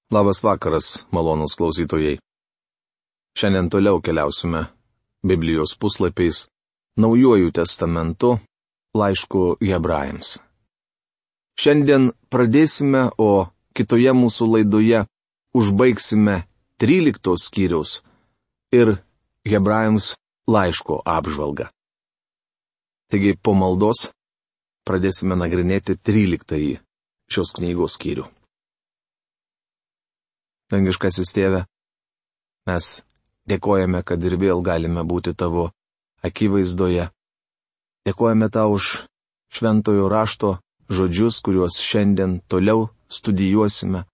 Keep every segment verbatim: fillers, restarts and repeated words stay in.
Labas vakaras, malonūs klausytojai. Šiandien toliau keliausime Biblijos puslapiais Naujuoju testamentu, laišku Hebrajams. Šiandien pradėsime, o kitoje mūsų laidoje užbaigsime tryliktos skyriaus ir Hebrajams laiško apžvalgą. Taigi po maldos pradėsime nagrinėti tryliktąjį šios knygos skyrių. Dangiškasis Tėve, mes dėkojame, kad ir vėl galime būti Tavo akivaizdoje. Dėkojame Tau už šventojo rašto žodžius, kuriuos šiandien toliau studijuosime.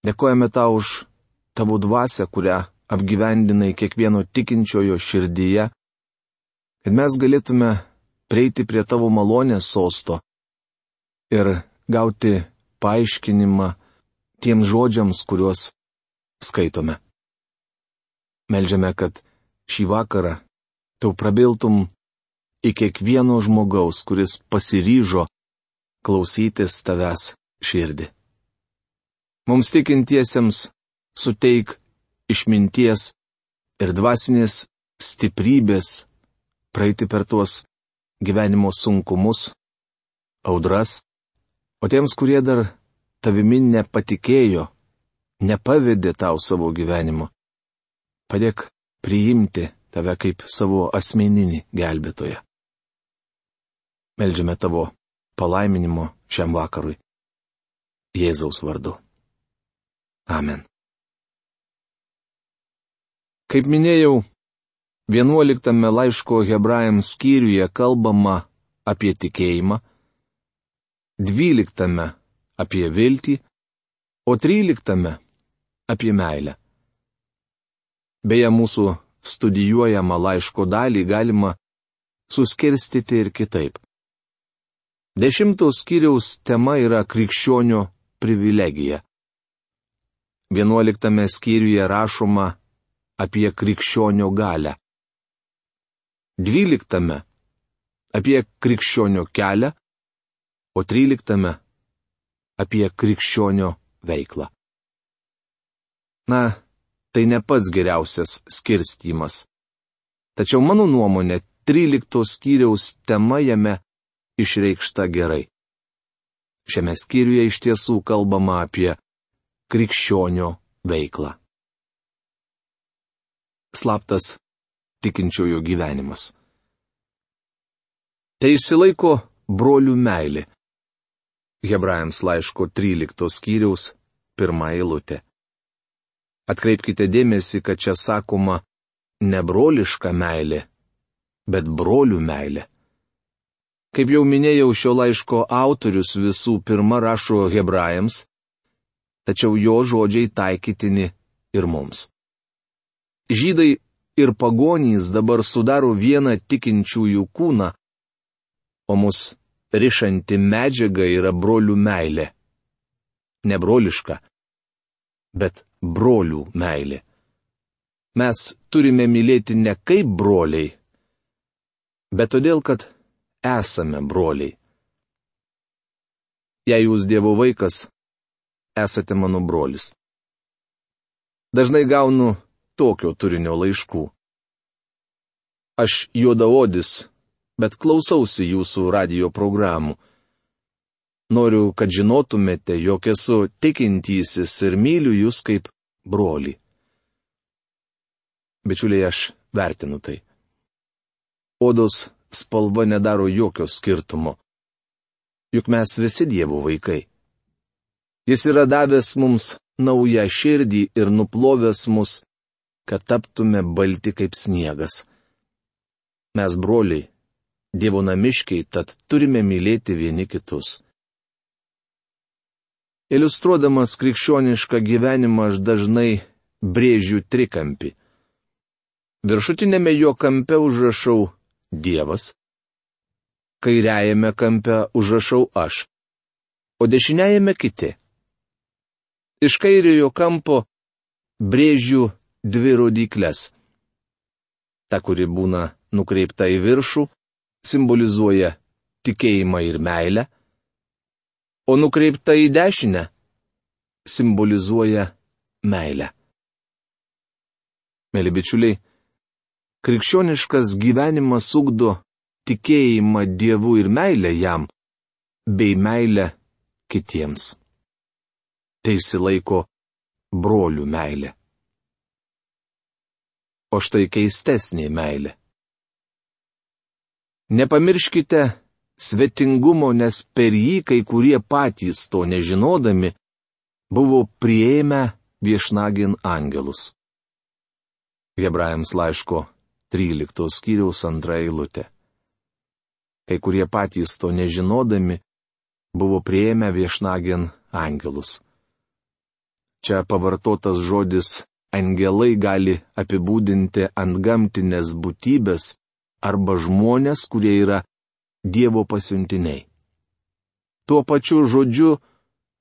Dėkojame Tau už Tavo dvasią, kurią apgyvendinai kiekvieno tikinčiojo širdyje, kad mes galėtume prieiti prie Tavo malonės sosto ir gauti paaiškinimą tiems žodžiams, kuriuos skaitome. Meldžiame, kad šį vakarą Tau prabiltum į kiekvieno žmogaus, kuris pasiryžo klausytis Tavęs širdį. Mums tikintiesiems suteik išminties ir dvasinės stiprybės praeiti per tuos gyvenimo sunkumus, audras, o tiems, kurie dar Tavimi nepatikėjo, nepavedė Tau savo gyvenimo, padėk priimti Tave kaip savo asmeninį gelbėtoją. Meldžiame Tavo palaiminimo šiam vakarui. Jėzaus vardu. Amen. Kaip minėjau, vienuoliktame laiško Hebrajams skyriuje kalbama apie tikėjimą, dvyliktame apie viltį, o tryliktame apie meilę. Beje, mūsų studijuojamą laiško dalį galima suskirstyti ir kitaip. Dešimtos skyriaus tema yra krikščionio privilegija. Vienuoliktame skyriuje rašoma apie krikščionio galią. Dvyliktame apie krikščionio kelią, o tryliktame apie krikščionio veiklą. Na, tai ne pats geriausias skirstymas. Tačiau mano nuomonė, tryliktos skyriaus tema jame išreikšta gerai. Šiame skyriuje iš tiesų kalbama apie krikščionio veiklą. Slaptas tikinčiojo gyvenimas. Tai išsilaiko brolių meilė. Hebrajams laiško tryliktos skyriaus pirma eilutė. Atkreipkite dėmesį, kad čia sakoma ne broliška meilė, bet brolių meilė. Kaip jau minėjau, šio laiško autorius visų pirma rašo Hebrajams, tačiau jo žodžiai taikytini ir mums. Žydai ir pagonys dabar sudaro vieną tikinčiųjų kūną, o mus rišanti medžiaga yra brolių meilė. Ne broliška, bet brolių meilė. Mes turime mylėti ne kaip broliai, bet todėl, kad esame broliai. Jei jūs Dievo vaikas, esate mano brolis. Dažnai gaunu tokio turinio laiškų. Aš juodaodis, bet klausausi jūsų radijo programų. Noriu, kad žinotumėte, jog esu tikintysis ir myliu jūs kaip brolį. Bičiuliai, aš vertinu tai. Odos spalva nedaro jokio skirtumo. Juk mes visi Dievo vaikai. Jis yra davęs mums naują širdį ir nuplovęs mus, kad taptume balti kaip sniegas. Mes broliai, Dievo namiškiai, tad turime mylėti vieni kitus. Iliustruodamas krikščionišką gyvenimą aš dažnai brėžiu trikampį. Viršutinėme jo kampe užrašau Dievas, kairiajame kampe užrašau aš, o dešiniajame kiti. Iš kairiojo kampo brėžiu dvi rodyklės. Ta, kuri būna nukreipta į viršų, simbolizuoja tikėjimą ir meilę, o nukreipta į dešinę simbolizuoja meilę. Mėly bičiuliai, krikščioniškas gyvenimas ugdo tikėjimą Dievu ir meilę jam, bei meilę kitiems. Tai išsilaiko brolių meilė. O štai keistesnė meilė. Nepamirškite svetingumo, nes per jį kai kurie patys to nežinodami buvo priėmę viešnagin angelus. Hebrajams laiško tryliktos skyriaus antra eilutė. Kai kurie patys to nežinodami buvo priėmę viešnagin angelus. Čia pavartotas žodis angelai gali apibūdinti antgamtinės būtybės arba žmonės, kurie yra Dievo pasiuntiniai. Tuo pačiu žodžiu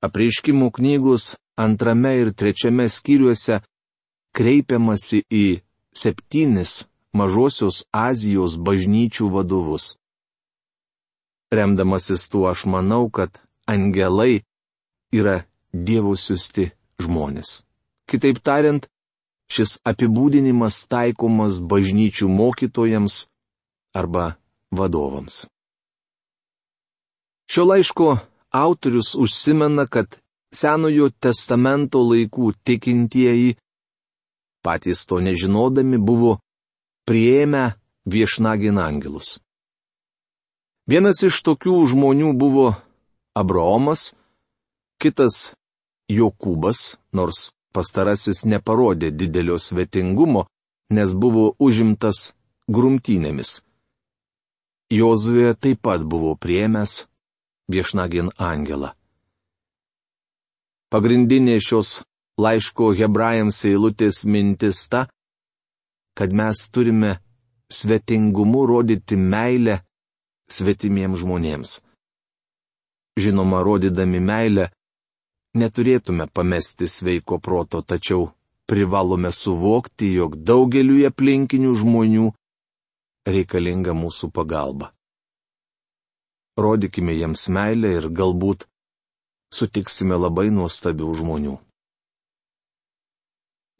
Apreiškimų knygos antrame ir trečiame skyriuose kreipiamasi į septynis Mažosios Azijos bažnyčių vadovus. Remdamasis tuo aš manau, kad angelai yra Dievo siųsti žmonės. Kitaip tariant, šis apibūdinimas taikomas bažnyčių mokytojams arba vadovams. Šio laiško autorius užsimena, kad Senojo testamento laikų tikintieji, patys to nežinodami, buvo priėmę viešnagin angelus. Vienas iš tokių žmonių buvo Abraomas, kitas Jokūbas, nors pastarasis neparodė didelio svetingumo, nes buvo užimtas grumtynėmis. Jozuė taip pat buvo priėmęs viešnagin angelą. Pagrindinė šios laiško hebrajams eilutės mintis ta, kad mes turime svetingumu rodyti meilę svetimiems žmonėms. Žinoma, rodydami meilę, neturėtume pamesti sveiko proto, tačiau privalome suvokti, jog daugeliui aplinkinių žmonių reikalinga mūsų pagalba. Rodykime jiems meilę ir galbūt sutiksime labai nuostabių žmonių.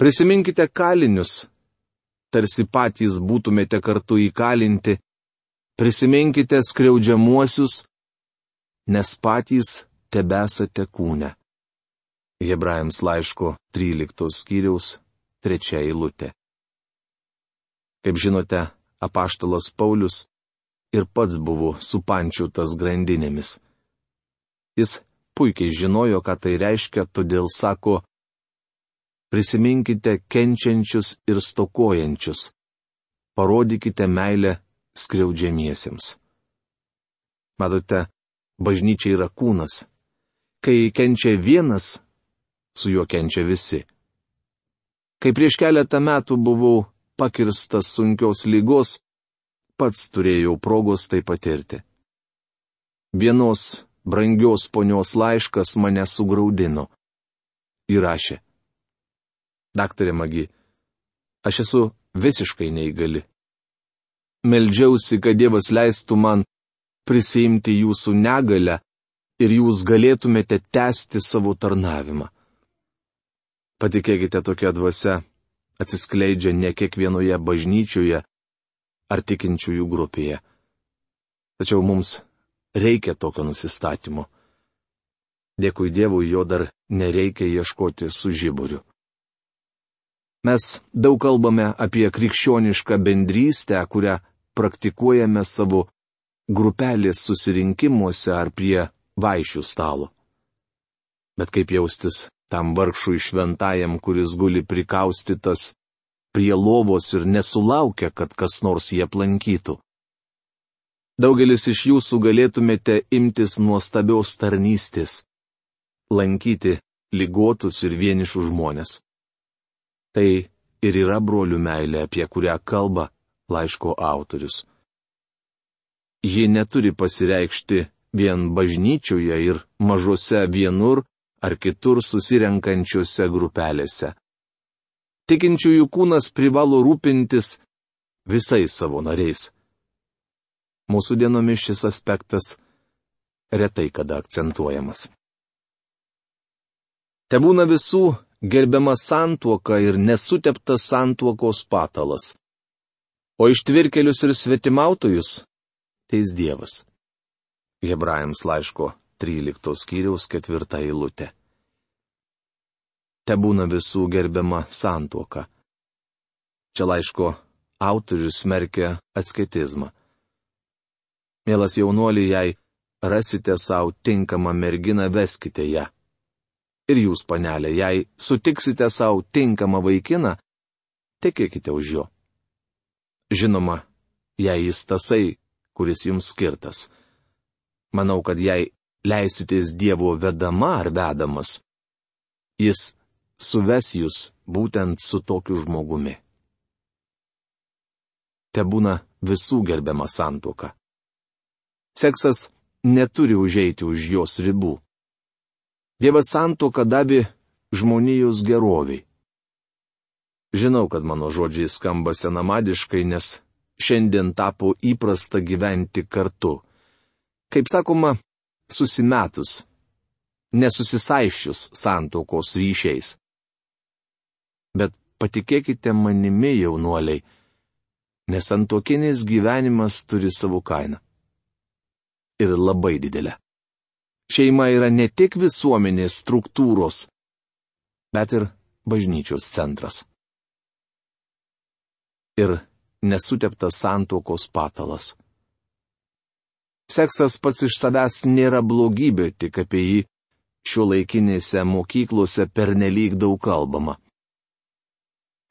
Prisiminkite kalinius, tarsi patys būtumėte kartu įkalinti, prisiminkite skriaudžiamuosius, nes patys tebesate kūne. Hebrajams laiško tryliktos skyriaus trečia eilutė. Kaip žinote, apaštalas Paulius ir pats buvo supančiotas grandinėmis. Jis puikiai žinojo, ką tai reiškia, todėl sako, prisiminkite kenčiančius ir stokojančius, parodykite meilę skriaudžiamiesiems. Matote, bažnyčia yra kūnas. Kai kenčia vienas, su juo kenčia visi. Kai prieš keletą metų buvau pakirstas sunkios lygos, pats turėjau progos tai patirti. Vienos brangios ponios laiškas mane sugraudino. Įrašė. Daktarė Magi, aš esu visiškai neįgali. Meldžiausi, kad Dievas leistų man prisiimti jūsų negalę ir jūs galėtumėte tęsti savo tarnavimą. Patikėkite, tokia dvasia atsiskleidžia ne kiekvienoje bažnyčioje ar tikinčiųjų grupėje. Tačiau mums reikia tokio nusistatymo. Dėkui Dievui, jo dar nereikia ieškoti su žiburiu. Mes daug kalbame apie krikščionišką bendrystę, kurią praktikuojame savo grupelės susirinkimuose ar prie vaišių stalo. Bet kaip jaustis tam vargšui šventajam, kuris guli prikaustytas prie lovos ir nesulaukia, kad kas nors jį aplankytų? Daugelis iš jūsų galėtumėte imtis nuostabios tarnystės - lankyti ligotus ir vienišus žmonės. Tai ir yra brolių meilė, apie kurią kalba laiško autorius. Ji neturi pasireikšti vien bažnyčioje ir mažose vienur ar kitur susirenkančiose grupelėse. Tikinčiųjų kūnas privalo rūpintis visais savo nariais. Mūsų dienomis šis aspektas retai kada akcentuojamas. Tebūna visų gerbiama santuoka ir nesuteptas santuokos patalas. O ištvirkelius ir svetimautojus teis Dievas. Hebrajams laiško tryliktos skyriaus ketvirta eilutė. Tebūna visų gerbiama santuoka. Čia laiško autorius smerkia asketizmą. Mielas jaunuoli, jei rasite savo tinkamą merginą, veskite ją. Ir jūs, panelė, jei sutiksite savo tinkamą vaikiną, tekėkite už jo. Žinoma, jei jis tasai, kuris jums skirtas. Manau, kad jei leisitės Dievo vedama ar vedamas, jis suves jūs būtent su tokiu žmogumi. Tebūna visų gerbiama santuoka. Seksas neturi užeiti už jos ribų. Dievas santuoką davė žmonijos geroviai. Žinau, kad mano žodžiai skamba senamadiškai, nes šiandien tapo įprasta gyventi kartu. Kaip sakoma, susimetus, nesusisaiščius santuokos ryšiais. Bet patikėkite manimi, jaunuoliai, nes santuokinis gyvenimas turi savo kainą. Ir labai didelę. Šeima yra ne tik visuomenės struktūros, bet ir bažnyčios centras. Ir nesuteptas santuokos patalas. Seksas pats iš savęs nėra blogybė, tik apie jį šiuolaikinėse mokyklose pernelyg daug kalbama.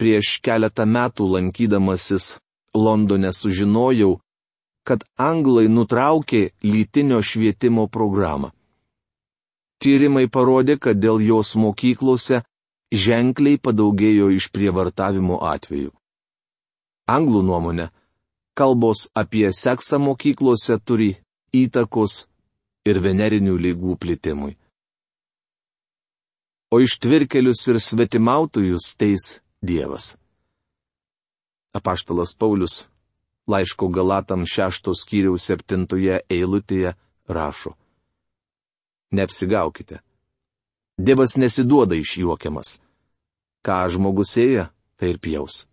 Prieš keletą metų lankydamasis Londone sužinojau, kad anglai nutraukė lytinio švietimo programą. Tyrimai parodė, kad dėl jos mokyklose ženkliai padaugėjo išprievartavimo atvejų. Anglų nuomonė, kalbos apie seksą mokyklose turi įtakos ir venerinių ligų plitimui. O ištvirkelius ir svetimautojus teis Dievas. Apaštalas Paulius laiško Galatams šeštos skyriaus septintoje eilutėje rašo: Neapsigaukite. Dievas nesiduoda išjuokiamas. Ką žmogus ėja, tai ir pjaus.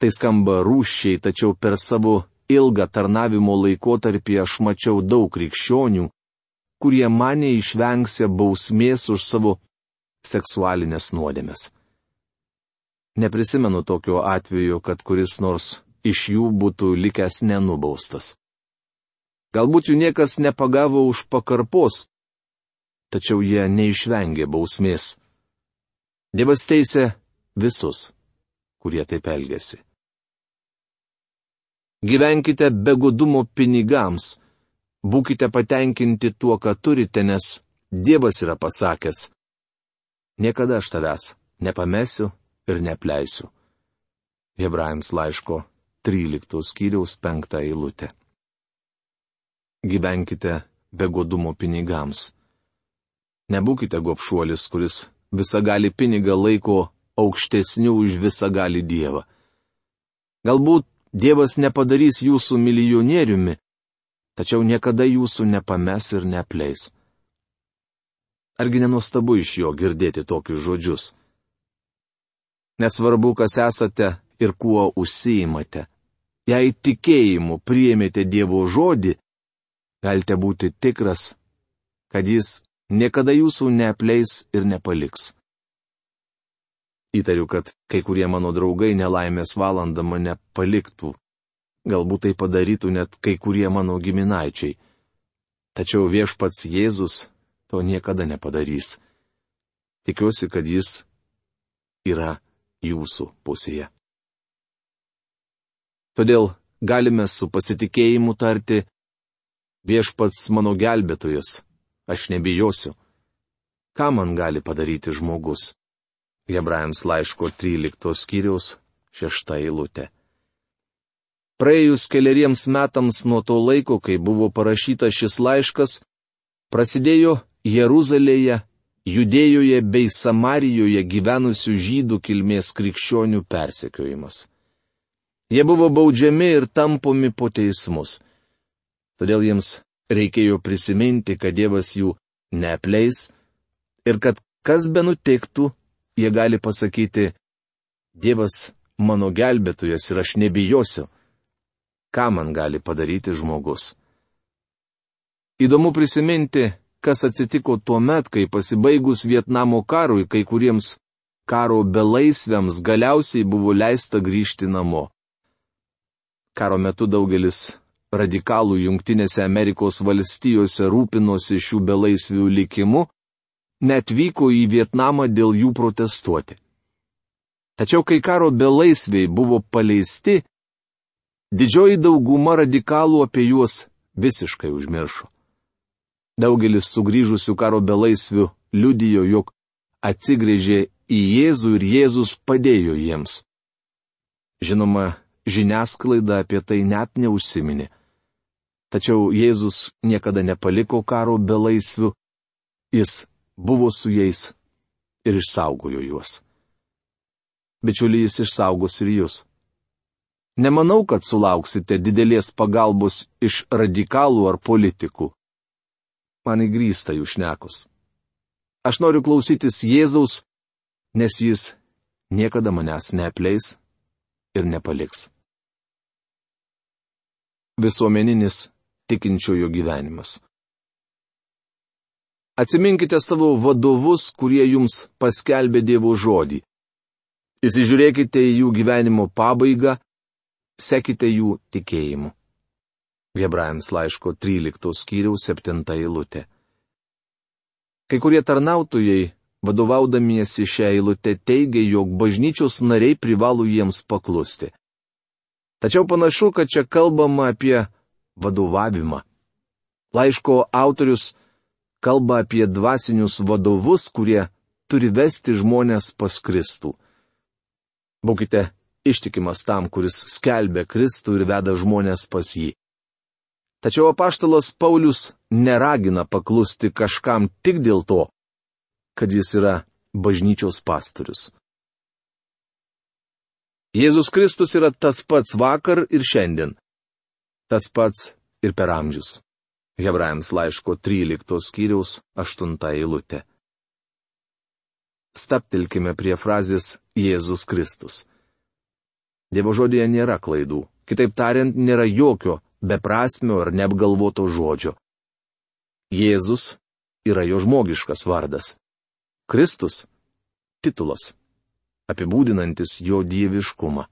Tai skamba rūsčiai, tačiau per savo ilgą tarnavimo laikotarpį aš mačiau daug krikščionių, kurie mane išvengsia bausmės už savo seksualinės nuodėmes. Neprisimenu tokio atveju, kad kuris nors iš jų būtų likęs nenubaustas. Galbūt jų niekas nepagavo už pakarpos, tačiau jie neišvengė bausmės. Dievas teisė visus, kurie taip elgėsi. Gyvenkite be godumo pinigams, būkite patenkinti tuo, ką turite, nes Dievas yra pasakęs: Niekada aš tavęs nepamesiu ir neapleisiu. Hebrajams laiško tryliktos skyriaus penktą eilutę. Gyvenkite be godumo pinigams. Nebūkite gobšuolis, kuris visagalį pinigą laiko aukštesniu už visagalį Dievą. Galbūt Dievas nepadarys jūsų milijonieriumi, tačiau niekada jūsų nepames ir neapleis. Argi nenuostabu iš jo girdėti tokius žodžius? Nesvarbu, kas esate ir kuo užsiimate. Jei tikėjimu priėmėte Dievo žodį, galite būti tikras, kad jis niekada jūsų neapleis ir nepaliks. Įtariu, kad kai kurie mano draugai nelaimės valandą mane paliktų. Galbūt tai padarytų net kai kurie mano giminaičiai. Tačiau viešpats Jėzus to niekada nepadarys. Tikiuosi, kad jis yra jūsų pusėje. Todėl galime su pasitikėjimu tarti: Viešpats mano gelbėtojas, aš nebijosiu. Ką man gali padaryti žmogus? Hebrajams laiško tryliktos skyriaus šešta eilutė. Praėjus keleriems metams nuo to laiko, kai buvo parašytas šis laiškas, prasidėjo Jeruzalėje, Judėjoje bei Samarijoje gyvenusių žydų kilmės krikščionių persekiojimas. Jie buvo baudžiami ir tampomi po teismus. Todėl jiems reikėjo prisiminti, kad Dievas jų neapleis Ir kad kas be nutiktų, jie gali pasakyti, Dievas mano gelbėtojas ir aš nebijosiu. Ką man gali padaryti žmogus? Įdomu prisiminti, kas atsitiko tuo met, kai pasibaigus Vietnamo karui kai kuriems karo belaisviams galiausiai buvo leista grįžti namo. Karo metu daugelis radikalų Jungtinėse Amerikos valstijose rūpinosi šių belaisvių likimu, net vyko į Vietnamą dėl jų protestuoti. Tačiau kai karo belaisviai buvo paleisti, didžioji dauguma radikalų apie juos visiškai užmiršo. Daugelis sugrįžusių karo belaisvių liudijo, jog atsigręžė į Jėzų ir Jėzus padėjo jiems. Žinoma, žiniasklaida apie tai net neužsiminė. Tačiau Jėzus niekada nepaliko karo belaisvių, jis buvo su jais ir išsaugojo juos. Bičiuliai, jis išsaugos ir jūs. Nemanau, kad sulauksite didelės pagalbos iš radikalų ar politikų. Man įgrįsta jų šnekos. Aš noriu klausytis Jėzaus, nes jis niekada manęs neapleis ir nepaliks. Visuomeninis tikinčiojo gyvenimas. Atsiminkite savo vadovus, kurie jums paskelbė Dievo žodį. Įsižiūrėkite į jų gyvenimo pabaigą, sekite jų tikėjimu. Hebrajams laiško tryliktos skyriaus septinta eilutė. Kai kurie tarnautojai, vadovaudamiesi šią eilutę, teigia, jog bažnyčios nariai privalo jiems paklusti. Tačiau panašu, kad čia kalbama apie vadovavimą. Laiško autorius kalba apie dvasinius vadovus, kurie turi vesti žmonės pas Kristų. Būkite ištikimas tam, kuris skelbia Kristų ir veda žmonės pas jį. Tačiau apaštalas Paulius neragina paklusti kažkam tik dėl to, kad jis yra bažnyčios pastorius. Jėzus Kristus yra tas pats vakar ir šiandien. Tas pats ir per amžius. Hebrajams laiško tryliktos skyriaus aštunta eilutė. Staptelkime prie frazės Jėzus Kristus. Dievo žodėje nėra klaidų. Kitaip tariant, nėra jokio beprasmio ar neapgalvoto žodžio. Jėzus yra jo žmogiškas vardas. Kristus – titulas, apibūdinantis jo dieviškumą.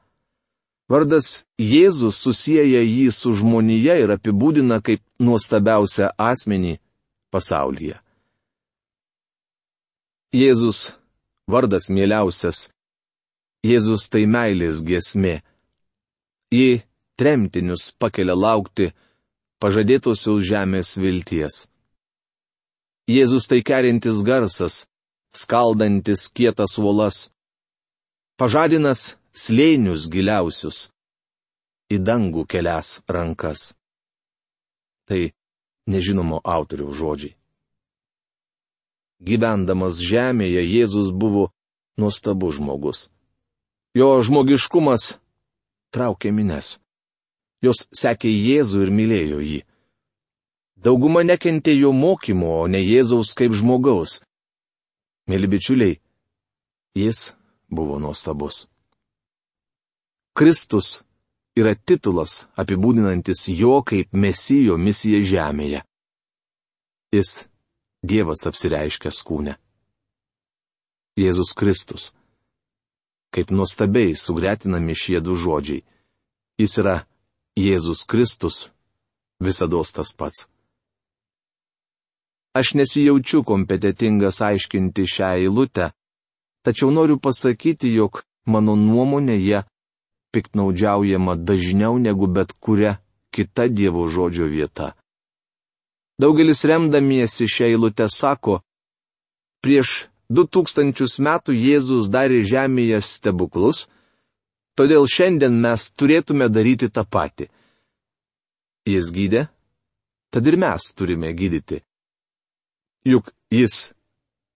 Vardas Jėzus susieja jį su žmonija ir apibūdina kaip nuostabiausią asmenį pasaulyje. Jėzus – vardas mieliausias. Jėzus tai meilės giesmė. Ji tremtinius pakelia laukti pažadėtosios žemės vilties. Jėzus tai kerintis garsas, skaldantis kietas uolas, pažadinas slėnius giliausius, į dangų kelias rankas. Tai nežinomo autoriaus žodžiai. Gyvendamas žemėje Jėzus buvo nuostabus žmogus. Jo žmogiškumas traukė mines. Jos sekė Jėzų ir mylėjo jį. Dauguma nekentė jo mokymo, o ne Jėzaus kaip žmogaus. Mėly bičiuliai, jis buvo nuostabus. Kristus yra titulas apibūdinantis jo kaip Mesijo misiją žemėje. Jis Dievas apsireiškęs kūne. Jėzus Kristus. Kaip nuostabiai sugretinami šie du žodžiai. Jis yra Jėzus Kristus, visados tas pats. Aš nesijaučiu kompetitingas aiškinti šią eilutę, tačiau noriu pasakyti, jog mano nuomonėje piktnaudžiaujama dažniau negu bet kuria kita Dievo žodžio vieta. Daugelis remdamiesi šią eilutę sako, prieš du tūkstančius metų Jėzus darė žemėje stebuklus, todėl šiandien mes turėtume daryti tą patį. Jis gydė, tad ir mes turime gydyti. Juk jis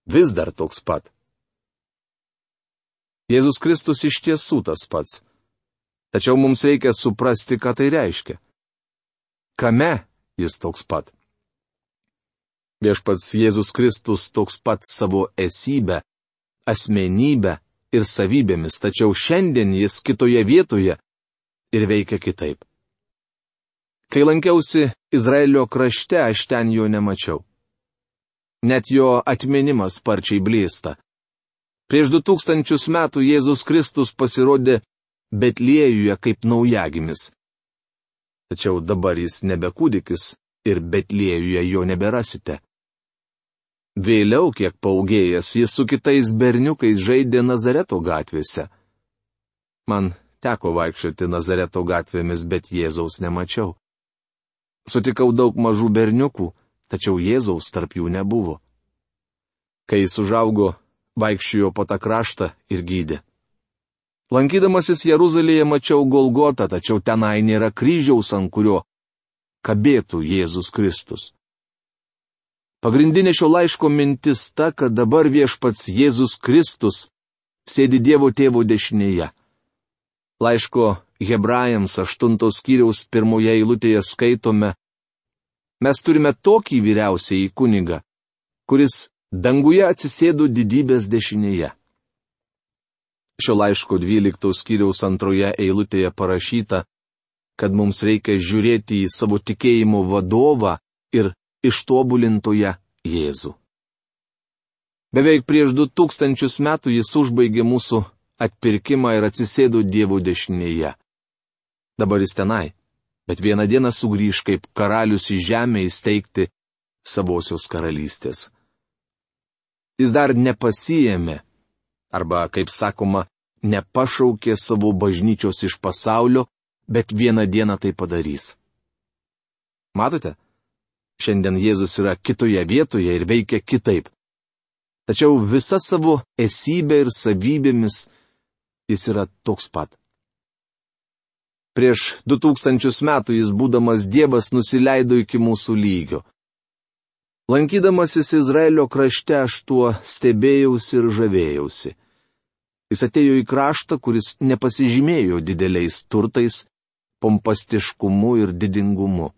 vis dar toks pat. Jėzus Kristus iš tiesų tas pats. Tačiau mums reikia suprasti, ką tai reiškia. Kame jis toks pat? Viešpats Jėzus Kristus toks pat savo esybę, asmenybę ir savybėmis, tačiau šiandien jis kitoje vietoje ir veikia kitaip. Kai lankiausi Izraelio krašte, aš ten jo nemačiau. Net jo atminimas sparčiai blėsta. Prieš du tūkstančius metų Jėzus Kristus pasirodė Betliejuje kaip naujagimis. Tačiau dabar jis nebe kūdikis ir Betliejuje jo neberasite. Vėliau, kiek paūgėjęs, jis su kitais berniukais žaidė Nazareto gatvėse. Man teko vaikščioti Nazareto gatvėmis, bet Jėzaus nemačiau. Sutikau daug mažų berniukų, tačiau Jėzaus tarp jų nebuvo. Kai jis užaugo, vaikščiojo po tą kraštą ir gydė. Lankydamasis Jeruzalėje mačiau Golgotą, tačiau tenai nėra kryžiaus, ant kurio kabėtų Jėzus Kristus. Pagrindinė šio laiško mintis ta, kad dabar viešpats Jėzus Kristus sėdi Dievo Tėvo dešinėje. Laiško Hebrajams aštuntos skyriaus pirmoje eilutėje skaitome: Mes turime tokį vyriausiąjį kunigą, kuris danguje atsisėdo didybės dešinėje. Šio laiško dvyliktos skyriaus antroje eilutėje parašyta, kad mums reikia žiūrėti į savo tikėjimo vadovą ir ištobulintoje Jėzų. Beveik prieš du tūkstančius metų jis užbaigė mūsų atpirkimą ir atsisėdo Dievo dešinėje. Dabar jis tenai, bet vieną dieną sugrįž kaip karalius į žemę įsteigti savosios karalystės. Jis dar nepasiėmė, arba, kaip sakoma, nepašaukė savo bažnyčios iš pasaulio, bet vieną dieną tai padarys. Matote? Šiandien Jėzus yra kitoje vietoje ir veikia kitaip. Tačiau visa savo esybė ir savybėmis jis yra toks pat. Prieš du tūkstančius metų jis, būdamas Dievas, nusileido iki mūsų lygio. Lankydamasis Izraelio krašte aš tuo stebėjausi ir žavėjausi. Jis atėjo į kraštą, kuris nepasižymėjo dideliais turtais, pompastiškumu ir didingumu.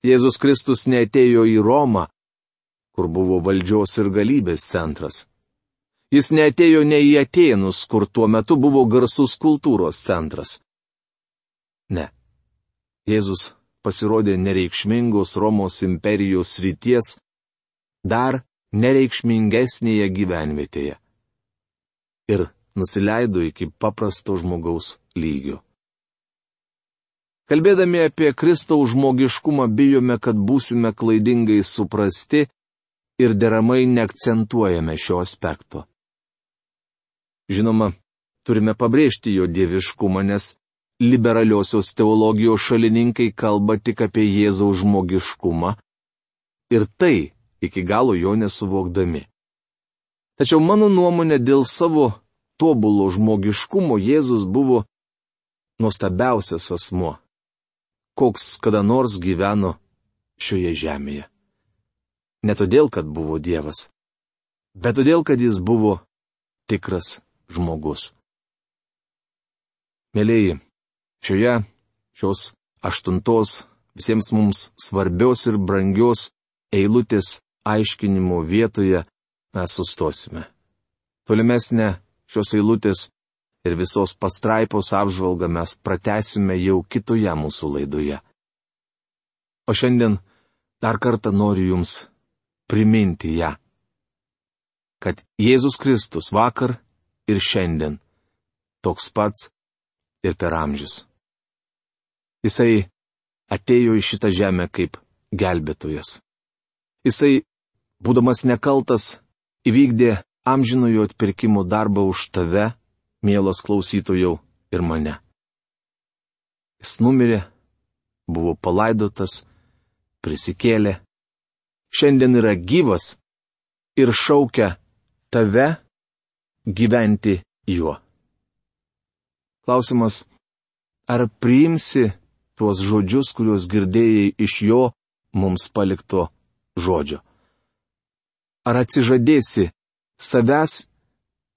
Jėzus Kristus neatėjo į Romą, kur buvo valdžios ir galybės centras. Jis neatėjo ne į Atėnus, kur tuo metu buvo garsus kultūros centras. Ne. Jėzus pasirodė nereikšmingos Romos imperijos srities, dar nereikšmingesnėje gyvenvietėje. Ir nusileido iki paprasto žmogaus lygio. Kalbėdami apie Kristaus žmogiškumą bijome, kad būsime klaidingai suprasti ir deramai neakcentuojame šio aspekto. Žinoma, turime pabrėžti jo dieviškumą, nes liberaliosios teologijos šalininkai kalba tik apie Jėzaus žmogiškumą ir tai iki galo jo nesuvokdami. Tačiau mano nuomonė, dėl savo tobulo žmogiškumo Jėzus buvo nuostabiausias asmuo, koks kada nors gyveno šioje žemėje. Ne todėl, kad buvo Dievas, bet todėl, kad jis buvo tikras žmogus. Mėlėjai, šioje šios aštuntos visiems mums svarbios ir brangios eilutės aiškinimo vietoje mes sustosime. Tolimesnę šios eilutės ir visos pastraipos apžvalgą mes pratęsime jau kitoje mūsų laidoje. O šiandien dar kartą noriu jums priminti ją, kad Jėzus Kristus vakar ir šiandien toks pats ir per amžius. Jisai atėjo į šitą žemę kaip gelbėtojas. Jisai, būdamas nekaltas, įvykdė amžinojo atpirkimo darbą už tave, mielas klausytojau, ir mane. Jis numirė, buvo palaidotas, prisikėlė, šiandien yra gyvas ir šaukia tave gyventi juo. Klausimas, ar priimsi tuos žodžius, kuriuos girdėjai iš jo mums palikto žodžio? Ar atsižadėsi savęs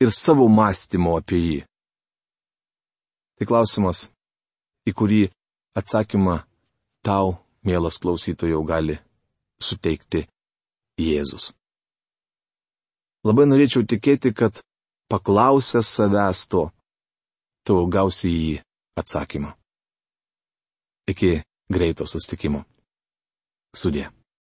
ir savo mąstymo apie jį? Tai klausimas, į kurį atsakymą tau, mielas klausytojau, gali suteikti Jėzus. Labai norėčiau tikėti, kad paklausęs savęs to, tu gausi į jį atsakymą. Iki greito susitikimo. Sudie.